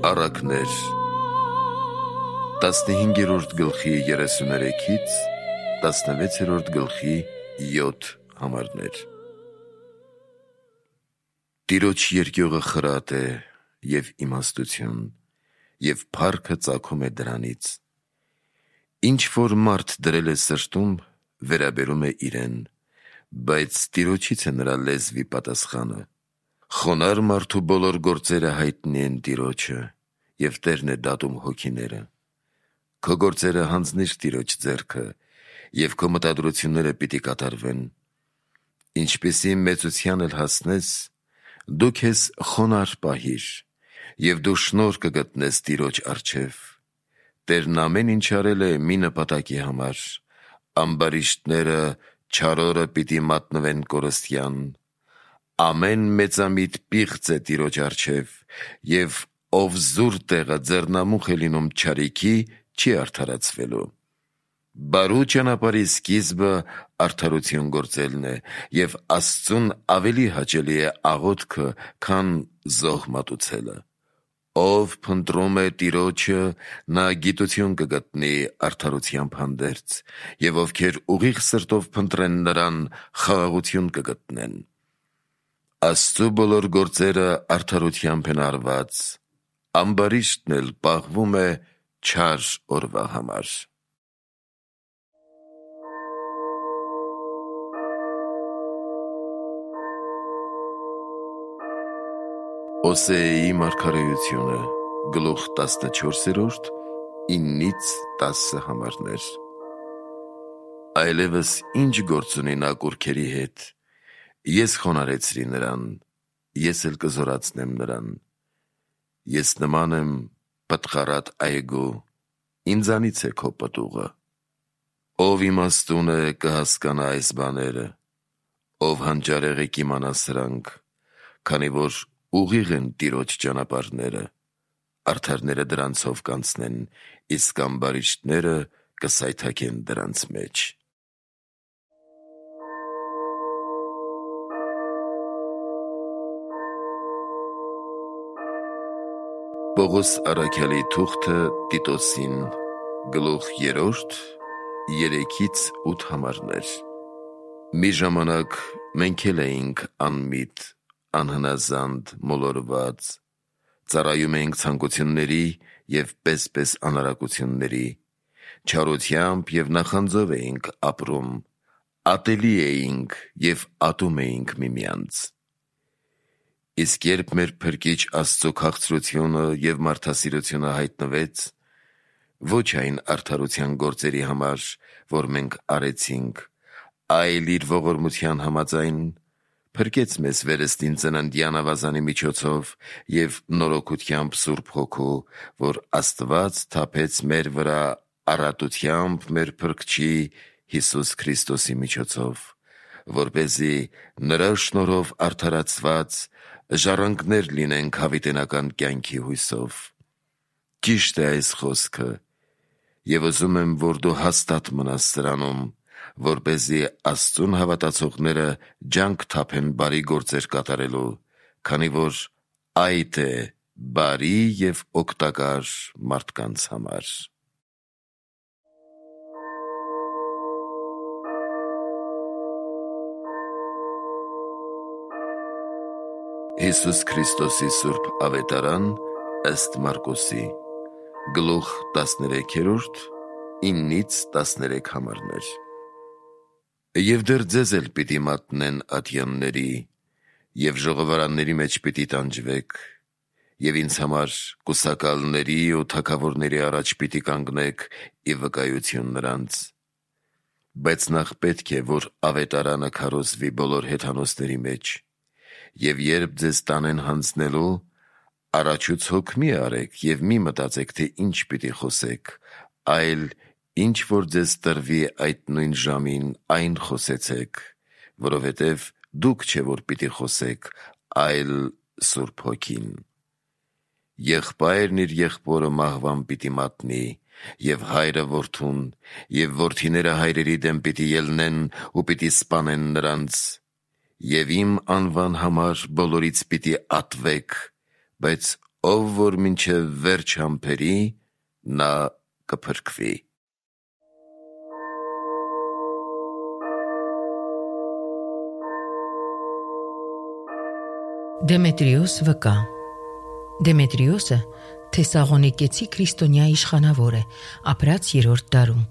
Առակներ 15-րդ գլխի 33-ից 16-րդ գլխի 7 համարներ։ Տիրոջ երկյուղը խրատ է և իմաստություն, և փառքը ծագում է դրանից։ Ինչ որ մարդ դրել է սրտում, վերաբերում է իրեն, բայց Տիրոջից է նրա լեզվի պատասխանը։ Խոնարհ մարդու բոլոր գործերը հայտնի են Տիրոջը, և Տերն է դատում հոգիները։ Քո գործերը հանձնիր Տիրոջ ձեռքը, և քո մտադրությունները պիտի կատարվեն։ Ինչպիսի մեծության էլ հասնես, դու քեզ խոնարհ պահիր, և դու շնորհ կգտնես Տիրոջ առջև։ Տերն ամեն ինչ արել է մի նպատակի համար, ամբարիշտները չար օրը պիտի մատնվեն կորստյան։ Ամեն մեծամիտ պիղծ է Տիրոջ առջև, և ով զուր տեղը ձեռնամուխ է լինում չարիքի, չի արդարացվելու։ Բարու ճանապարհի սկիզբը արդարություն գործելն է, և Աստծուն ավելի հաճելի է աղոթքը, քան զոհ մատուցելը։ Ով փնտրում է Տիրոջը, նա գիտություն կգտնի արդարությամբ հանդերձ, և ովքեր ուղիղ սրտով փնտրեն նրան, խաղաղություն կգտնեն։ Աստծու բոլոր գործերը արդարությամբ են արված, ամբարիշտն էլ պաղվում է չար օրվա համար։ Օսեայի մարգարեությունը, գլուխ 14, 9-10 համարներ։ Այլևս ինչ գործ ունի նա կուռքերի հետ, ես խոնարհեցրի նրան, ես էլ կզորացնեմ նրան։ Ես նման եմ պտղառատ այգու, ինձանից է քո պտուղը։ Ով իմաստուն է, կհասկանա այս բաները, ով հանճարեղ է, կիմանա սրանք, քանի որ ուղիղ են Տիրոջ ճանապարհները, արդարները դրանցով կանցնեն, իսկ ամբարիշտները կսայթաքեն դրանց մեջ։ Պողոս առաքյալի թուղթը Տիտոսին, գլուխ 3, 3-8 համարներ։ Մի ժամանակ մենք էլ էինք անմիտ, անհնազանդ, մոլորված, ծառայում էինք ցանկությունների և պես անարակությունների, չարությամբ և նախանձով էինք ապրում, ատելի էինք և ատում էինք միմյանց։ Իսկ երբ մեր Փրկիչ Աստծու քաղցրությունը և մարդասիրությունը հայտնվեց, ոչ այն արդարության գործերի համար, որ մենք արեցինք, այլ իր ողորմության համաձայն, փրկեց մեզ վերստին ծննդյան ավազանի միջոցով և նորոգությամբ Սուրբ Հոգու, որ Աստված թափեց մեր վրա առատությամբ մեր Փրկչի Հիսուս Քրիստոսի միջոցով, որպեսզի նրա շնորհով արդարացված ժառանգներ լինենք հավիտենական կյանքի հույսով։ Ճիշտ է այս խոսքը, և ուզում եմ, որ դու հաստատ մնաս սրանում, որպեսզի Աստծուն հավատացողները ջանք թափեն բարի գործեր կատարելու, քանի որ այդ է բարի և օգտակար մարդկանց համար։ Հիսուս Քրիստոսի Սուրբ Ավետարան ըստ Մարկոսի, գլուխ 13, 9-13 համարներ։ Եվ դեռ ձեզ էլ պիտի մատնեն ատյանների, և ժողովարանների մեջ պիտի տանջվեք, և ինձ համար կուսակալների ու թագավորների առաջ պիտի կանգնեք ի վկայություն նրանց։ Բայց նախ պետք է, որ ավետարանը քարոզվի բոլոր հեթանոսների մեջ, և երբ ձեզ տանեն հանձնելու, առաջուց մի արեք և մի մտածեք, թե ինչ պիտի խոսեք, այլ ինչ որ ձեզ տրվի այդ նույն ժամին, այն խոսեցեք, որովհետև դուք չէ, որ պիտի խոսեք, այլ Սուրբ Հոգին։ Եղբայրն իր եղբորը մահվան պիտի մատնի, և հայրը որդուն, և որդիները հայրերի դեմ պիտի ելնեն ու պիտի սպանեն նրանց, և իմ անվան համար բոլորից պիտի ատվեք, բայց ով որ մինչև վերջ համբերի, նա կփրկվի։ Դեմետրիոս վկա։ Դեմետրիոսը Թեսաղոնիկեցի քրիստոնյա իշխանավոր է, ապրած 3-րդ դարում։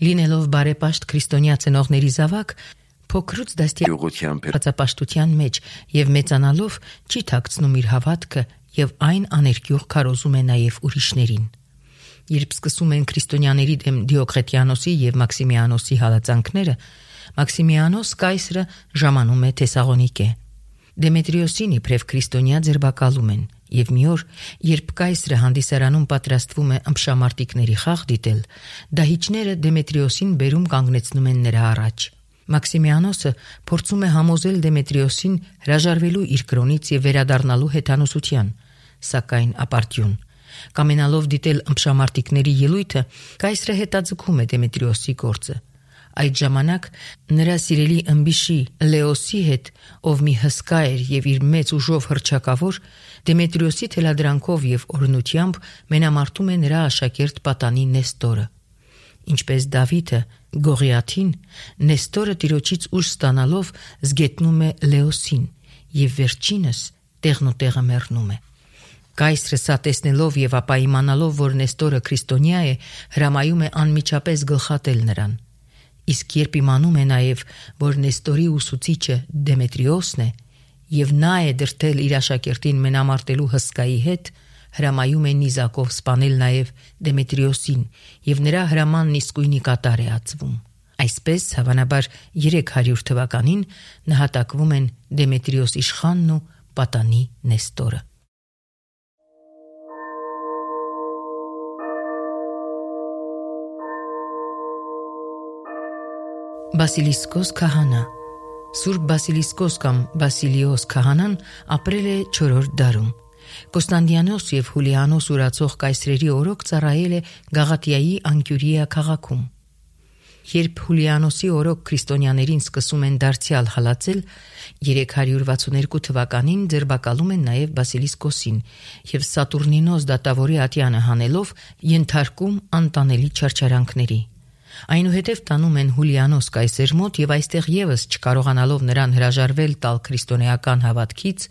Լինելով բարեպաշտ քրիստոնյա ծնողների զավակ, փոքրուց դաստիարակության մեջ եւ մեծանալով չի թաքցնում իր հավատքը եւ այն աներկյուղ քարոզում է նաեւ ուրիշներին։ Երբ սկսում են քրիստոնյաների դեմ Դիոկլետիանոսի եւ Մաքսիմիանոսի հալածանքները, Մաքսիմիանոս կայսրը ժամանում է Թեսաղոնիկե։ Դեմետրիոսին իբրև քրիստոնյա ձերբակալում են, եւ մի օր, երբ կայսրը հանդիսարանում պատրաստվում է ըմբշամարտիկների խաղ դիտել, դահիճները Դեմետրիոսին բերում կանգնեցնում են նրա առաջ։ Մաքսիմիանոսը փորձում է համոզել Դեմետրիոսին հրաժարվելու իր կրոնից եւ վերադառնալու հեթանոսության, սակայն ապարդյուն։ Կամենալով դիտել ըմբշամարտիկների ելույթը, կայսրը հետաձգում է Դեմետրիոսի գործը։ Այդ ժամանակ նրա սիրելի ըմբիշի Լեոսի հետ, ով մի հսկա էր եւ իր մեծ ուժով հռչակավոր, Դեմետրիոսի թելադրանքով եւ օրհնությամբ մենամարտում է նրա աշակերտ պատանի Նեստորը։ Ինչպես Դավիթը Գողիաթին, Նեստորը տիրոջից ուժ ստանալով զգետնում է Լեոսին եւ վերջինս տեղնուտեղը մեռնում է։ Կայսրը սա տեսնելով եւ ապա իմանալով, որ Նեստորը քրիստոնյա է, հրամայում է անմիջապես գլխատել նրան։ Իսկ երբ իմանում է նաև, որ Նեստորի ուսուցիչը Դեմետրիոսն է եւ նա է դրդել իր աշակերտին մենամարտելու հսկայի հետ, հրամայում է նիզակով սպանել նաև Դեմետրիոսին եւ նրա հրամանն իսկույնի կատար է ածվում։ Այսպես հավանաբար 300 թվականին նահատակվում են Դեմետրիոս իշխանն ու պատանի Նեստորը։ Բասիլիսկոս քահանա։ Սուրբ Բասիլիսկոս կամ Բասիլիոս քահանան ապրել է 4-րդ դարում։ Կոստանդիանոս եւ Հուլիանոս ուրացող կայսրերի օրոք ծառայել է Գաղատիայի Անկյուրիա քաղաքում։ Երբ Հուլիանոսի օրոք քրիստոնյաներին սկսում են դարձյալ հալածել, 362 թվականին ձերբակալում են նաև Բասիլիսկոսին եւ Սատուրնինոս դատավորի ատյանը հանելով ենթարկում անտանելի չարչարանքների։ Այնուհետև տանում են Հուլիանոս կայսեր մոտ եւ այստեղ եւս չկարողանալով նրան հրաժարվել տալ քրիստոնեական հավատքից,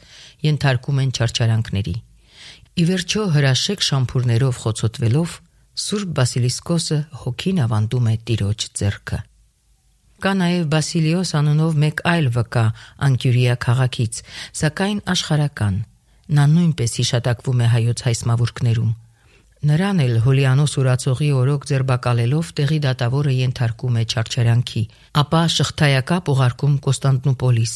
ենթարկում են չարչարանքների։ Ի վերջո հրաշեք շամփուրներով խոցոտվելով Սուրբ Բասիլիսկոսը հոգին ավանդում է տիրոջ ձեռքը։ Կա նաև Բասիլիոս անունով մեկ այլ վկա Անկյուրիա քաղաքից, սակայն աշխարհական։ Նա նույնպես հիշատակվում է հայոց հայսմավուրկներում։ Նրան էլ Հուլիանոս ուրացողի օրոք ձերբակալելով տեղի դատավորը ենթարկում է չարչարանքի, ապա շղթայակապ ուղարկում Կոստանդնուպոլիս։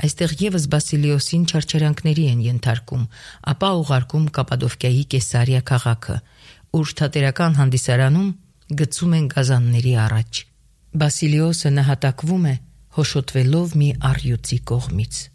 Այստեղ եւս Բասիլիոսին չարչարանքների են ենթարկում, ապա ուղարկում Կապադովկիայի Կեսարիա քաղաքը, ուր թատերական հանդիսարանում գցում են գազանների առաջ։ Բասիլիոսը նահատակվում է հոշոտվելով մի առյուծի կողմից։